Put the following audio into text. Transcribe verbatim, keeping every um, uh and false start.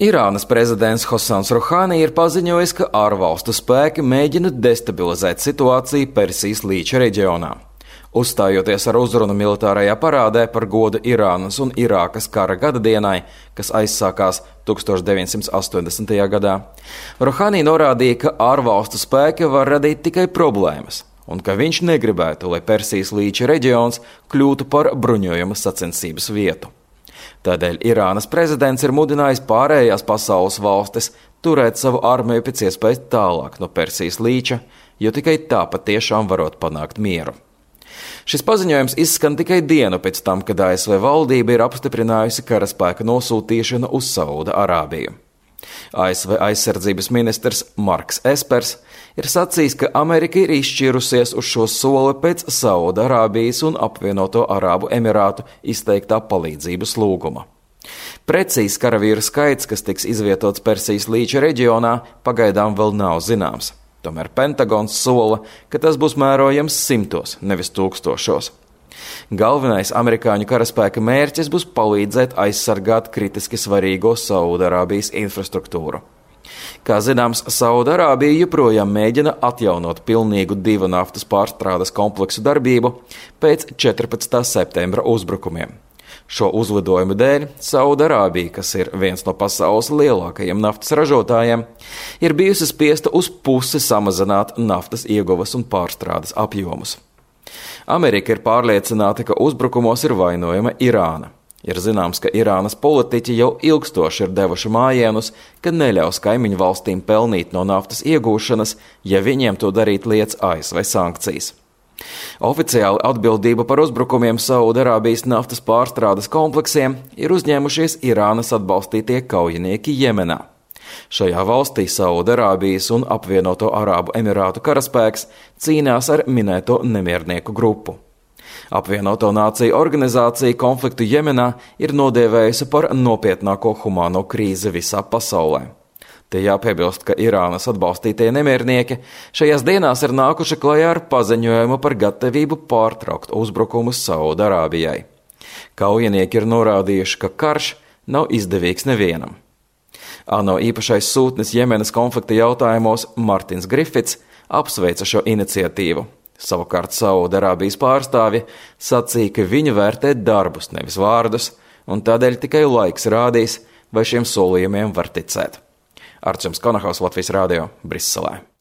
Irānas prezidents Hasans Rohani ir paziņojis, ka ārvalstu spēki mēģina destabilizēt situāciju Persijas līča reģionā. Uzstājoties ar uzrunu militārajā parādē par godu Irānas un Irākas kara gadadienai, kas aizsākās tūkstoš deviņsimt astoņdesmitajā gadā, Rohani norādīja, ka ārvalstu spēki var radīt tikai problēmas un ka viņš negribētu, lai Persijas līča reģions kļūtu par bruņojuma sacensības vietu. Tādēļ Irānas prezidents ir mudinājis pārējās pasaules valstis turēt savu armiju pēc iespējas tālāk no Persijas līča, jo tikai tā patiešām varot panākt mieru. Šis paziņojums izskan tikai dienu pēc tam, kad A S V valdība ir apstiprinājusi karaspēka nosūtīšanu uz Sauda Arābiju. A S V aizsardzības ministrs Marks Espers ir sacījis, ka Amerika ir izšķirusies uz šo soli pēc Sauda Arābijas un apvienoto Arābu Emirātu izteiktā palīdzības lūguma. Precīzs karavīru skaits, kas tiks izvietots Persijas līča reģionā, pagaidām vēl nav zināms. Tomēr Pentagons sola, ka tas būs mērojams simtos, nevis tūkstošos. Galvenais amerikāņu karaspēka mērķis būs palīdzēt aizsargāt kritiski svarīgo Saudarābijas infrastruktūru. Kā zināms, Saudarābija joprojām mēģina atjaunot pilnīgu divu naftas pārstrādes kompleksu darbību pēc četrpadsmitā septembra uzbrukumiem. Šo uzlidojumu dēļ Saudarābija, kas ir viens no pasaules lielākajiem naftas ražotājiem, ir bijusi spiesta uz pusi samazināt naftas ieguvas un pārstrādes apjomus. Amerika ir pārliecināta, ka uzbrukumos ir vainojama Irāna. Ir zināms, ka Irānas politiķi jau ilgstoši ir devuši mājienus, ka neļaus kaimiņu valstīm pelnīt no naftas iegūšanas, ja viņiem to darīt liec A S V sankcijas. Oficiāli atbildību par uzbrukumiem Saudarābijas naftas pārstrādes kompleksiem ir uzņēmušies Irānas atbalstītie kaujinieki Jemenā. Šajā valstī Saudarābijas un apvienoto Arābu Emirātu karaspēks cīnās ar minēto nemiernieku grupu. Apvienoto nāciju organizācija konfliktu Jemenā ir nodēvējusi par nopietnāko humāno krīzi visā pasaulē. Te jāpiebilst, ka Irānas atbalstītie nemiernieki šajās dienās ir nākuši klajā ar paziņojumu par gatavību pārtraukt uzbrukumus Saudarābijai. Kaujinieki ir norādījuši, ka karš nav izdevīgs nevienam. ANO īpašais sūtnis Jemenas konflikta jautājumos Martins Grifits apsveica šo iniciatīvu. Savukārt Saudarābijas pārstāvji sacīja, ka viņi vērtē darbus, nevis vārdus, un tādēļ tikai laiks rādīs, vai šiem solījumiem var ticēt. Arčuns Konahaus, Latvijas Rādio, Briselē.